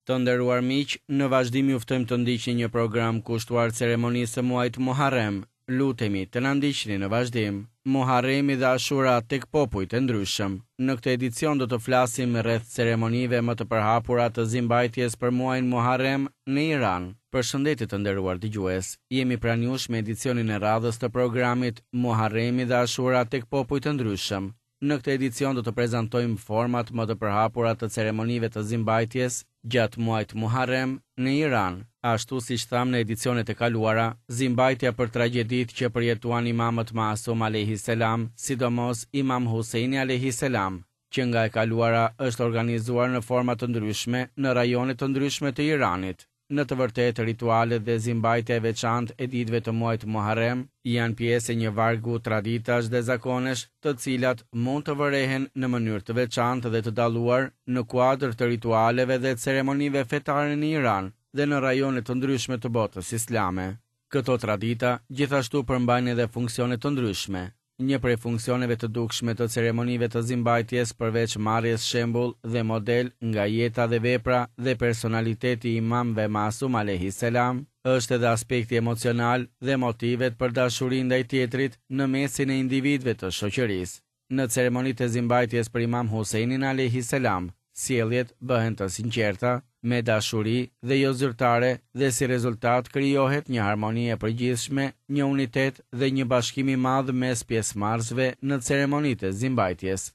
Të nderuar miq, në vazhdim ju ftojmë të ndiqni një program kushtuar ceremonisë së muajit Muharrem. Lutemi të na ndiqni në vazhdim. Muharremi dhe Ashura tek popujt e ndryshëm. Në këtë edicion do të flasim rreth ceremonive më të përhapura të zimbajtjes për muajin Muharrem në Iran. Përshëndetje të nderuar dëgjues. Jemi pranë jush me edicionin e radhës të programit Muharremi dhe Ashura tek popujt e ndryshëm. Në këtë edicion do të prezantojmë format më të përhapura të ceremonive të zimbajtjes gjatë muajit Muharrem në Iran. Ashtu siç thamë në edicionet e kaluara, zimbajtja për tragjeditë që përjetuan imamët Masum alejhi selam, sidomos Imam Husejni alejhi selam, që nga e kaluara është organizuar në forma të ndryshme në rajone të ndryshme të Iranit. Në të vërtetë, ritualet dhe zimbajtja e veçantë e ditëve të muajit Muharrem janë pjesë e një vargu traditash dhe zakonesh, të cilat mund të vërehen në mënyrë të veçantë dhe të dalluar në kuadër të ritualeve dhe ceremonive fetare në Iran dhe në rajone të ndryshme të botës islame. Këto tradita gjithashtu përmbajnë edhe funksione të ndryshme. Një prej funksioneve të dukshme të ceremonive të zimbajtjes përveç marrjes shembull dhe model nga jeta dhe vepra dhe personaliteti i imamëve Masum alejhi selam, është edhe aspekti emocional dhe motivet për dashuri ndaj tjetrit në mesin e individëve të shoqërisë. Në ceremonitë e zimbajtjes për Imam Husejnin alejhi selam, sjelljet bëhen të sinqerta, me dashuri dhe jo zyrtare dhe si rezultat krijohet një harmoni e përgjithshme, një unitet dhe një bashkim i madh mes pjesëmarrësve në ceremonitë e zimbajtjes.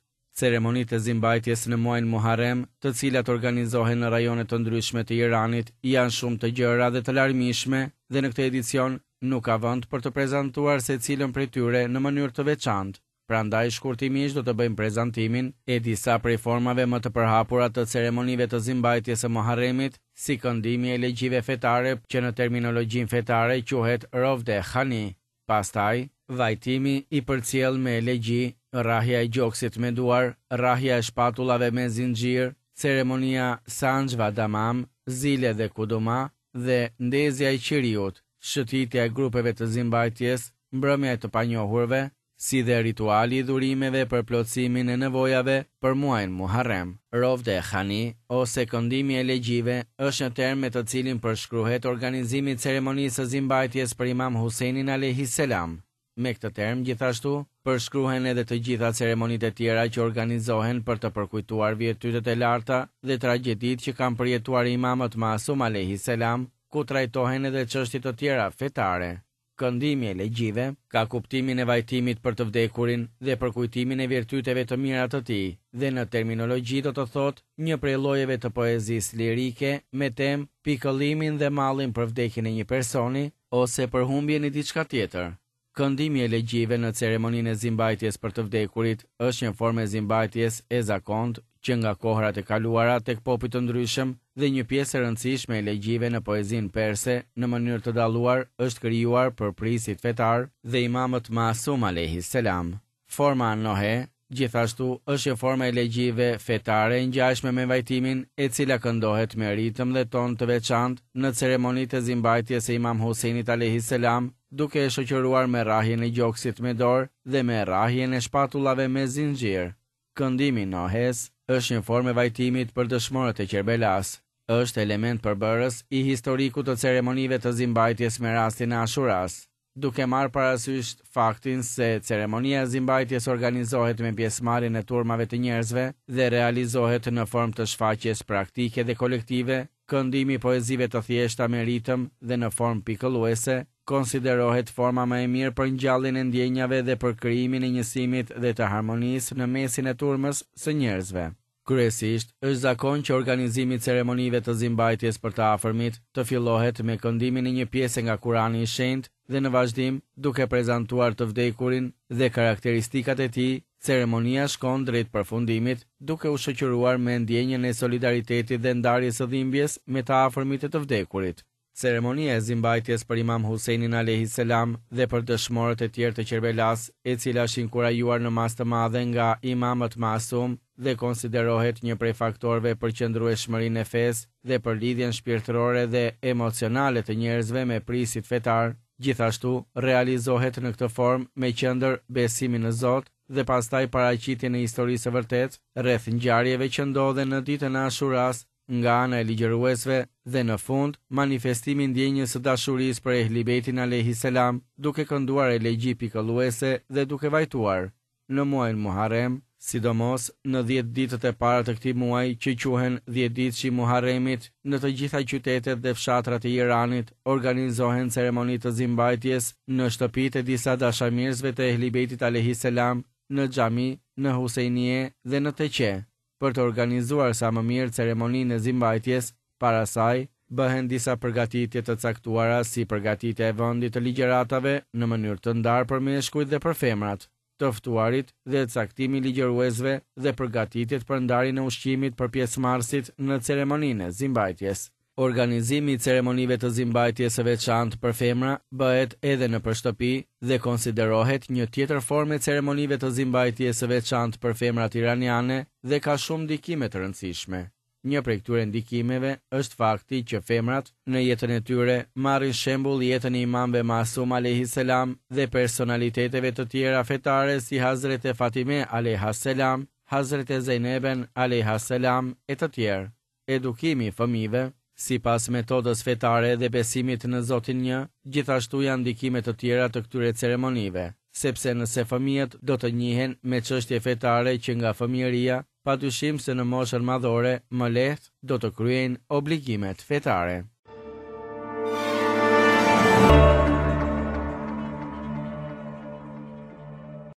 Ceremonitë e zimbajtjes në muajin Muharrem, të cilat organizohen në rajone të ndryshme të Iranit, janë shumë të gjera dhe të larmishme dhe në këtë edicion nuk ka vend për të prezantuar secilën prej tyre në mënyrë të veçantë. Prandaj shkurtimisht do të bëjmë prezantimin e disa prej formave më të përhapura të ceremonive të zimbajtjes së Muharremit, si këndimi i elegjive fetare që në terminologjinë fetare quhet Rovde Khani, pastaj, vajtimi i përcjellë me elegji, rrahja e gjoksit me duar, rrahja e shpatullave me zinxhirë, ceremonia Sanjva Damam, zile dhe kuduma, dhe ndezja e qiriut, shëtitja e grupeve të zimbajtjes, mbrëmja e të panjohurve, si dhe rituali i dhurimeve për plotësimin e nevojave për muajin Muharrem. Rovde Khani, ose këndimi i elegjive, është një term me të cilin përshkruhet organizimi i ceremonisë së zimbajtjes për Imam Husejnin alejhi selam. Me këtë term, gjithashtu, përshkruhen edhe të gjitha ceremonitë e tjera që organizohen për të përkujtuar virtytet e larta dhe tragjeditë që kanë përjetuar imamët Masum alejhi selam, ku trajtohen edhe çështje të tjera fetare. Këndimi i elegjive ka kuptimin e vajtimit për të vdekurin dhe përkujtimin e virtyteve të mira të tij dhe në terminologji do të thotë një prej llojeve të poezisë lirike me temë pikëllimin dhe mallin për vdekjen e një personi ose për humbjen e diçka tjetër. Këndimi i elegjive në ceremoninë e zimbajtjes për të vdekurit është një formë e zimbajtjes e zakontë që nga kohërat e kaluara tek popuj të ndryshëm dhe një pjesë e rëndësishme e elegjive në poezinë perse në mënyrë të dalluar është krijuar për prijësit fetarë dhe imamët Masum alejhi selam. Forma Nohe, gjithashtu, është një formë e elegjive fetare e ngjashme me vajtimin, e cila këndohet me ritëm dhe ton të veçantë në ceremonitë e zimbajtjes së Imam Husejnit alejhi selam, duke e shoqëruar me rrahjen e gjoksit me dorë dhe me rrahjen e shpatullave me zinxhir. Këndimi i Nohes është një formë e vajtimit për dëshmorët e Qerbelasë. Është element përbërës i historikut të ceremonive të zimbajtjes me rastin e Ashuras. Duke marrë parasysh faktin se ceremonia e zimbajtjes organizohet me pjesëmarrjen e turmave të njerëzve dhe realizohet në formë të shfaqjes praktike dhe kolektive, këndimi i poezive të thjeshta me ritëm dhe në formë pikëlluese konsiderohet forma më e mirë për ngjalljen e ndjenjave dhe për krijimin e njësimit dhe të harmonisë në mesin e turmës së njerëzve. Kryesisht, është zakon që organizimi i ceremonive të zimbajtjes për të afërmit të fillohet me këndimin e një pjese nga Kurani i Shenjtë dhe në vazhdim, duke prezantuar të vdekurin dhe karakteristikat e tij, ceremonia shkon drejt përfundimit, duke u shoqëruar me ndjenjën e solidaritetit dhe ndarjes së dhimbjes me të afërmit e të vdekurit. Ceremonia e zimbajtjes për Imam Husejnin alejhi selam dhe për dëshmorët e tjerë të Qerbelasë, e cila është inkurajuar në masë të madhe nga imamët masum dhe konsiderohet një prej faktorëve për qëndrueshmërinë e fesë dhe për lidhjen shpirtërore dhe emocionale të njerëzve me prijësit fetarë, gjithashtu realizohet në këtë formë me qendër besimin në Zot dhe pastaj paraqitjen e historisë së vërtetë rreth ngjarjeve që ndodhen në ditën e Ashuras. nga ana e ligjëruesve dhe në fund manifestimi i ndjenjës së dashurisë për Ehli Bejtin alejhi selam duke kënduar elegji pikëlluese dhe duke vajtuar. Në muajin Muharrem, sidomos në dhjetë ditët e para të këtij muaji që quhen dhjetëditëshi i Muharremit, në të gjitha qytetet dhe fshatrat e Iranit organizohen ceremoni të zimbajtjes në shtëpitë e disa dashamirësve të Ehli Bejtit alejhi selam, në xhami, në Husejnie dhe në teqe. Për të organizuar sa më mirë ceremoninë e zimbajtjes, para saj, bëhen disa përgatitje të caktuara si përgatitja e vendit të ligjëratave në mënyrë të ndarë për meshkujt dhe për femrat, të ftuarit dhe caktimi i ligjëruesve dhe përgatitjet për ndarjen e ushqimit për pjesëmarrësit në ceremoninë e zimbajtjes. Organizimi i ceremonive të zimbajtjes së veçantë për femra bëhet edhe nëpër shtëpi dhe konsiderohet një tjetër formë e ceremonive të zimbajtjes së veçantë për femrat iraniane dhe ka shumë ndikime të rëndësishme. Një prej këtyre ndikimeve është fakti që femrat, në jetën e tyre, marrin shembull jetën e imamëve Masum alejhi selam dhe personaliteteve të tjera fetare si Hazrete Fatime alejha selam, Hazrete Zejneben alejha selam e të tjerë. Edukimi i fëmijëve, sipas metodës fetare dhe besimit në Zotin Një, gjithashtu janë ndikime të tjera të këtyre ceremonive, sepse nëse fëmijët do të njihen me çështje fetare që nga fëmijëria, padyshim se në moshën madhore më lehtë do të kryejnë obligimet fetare.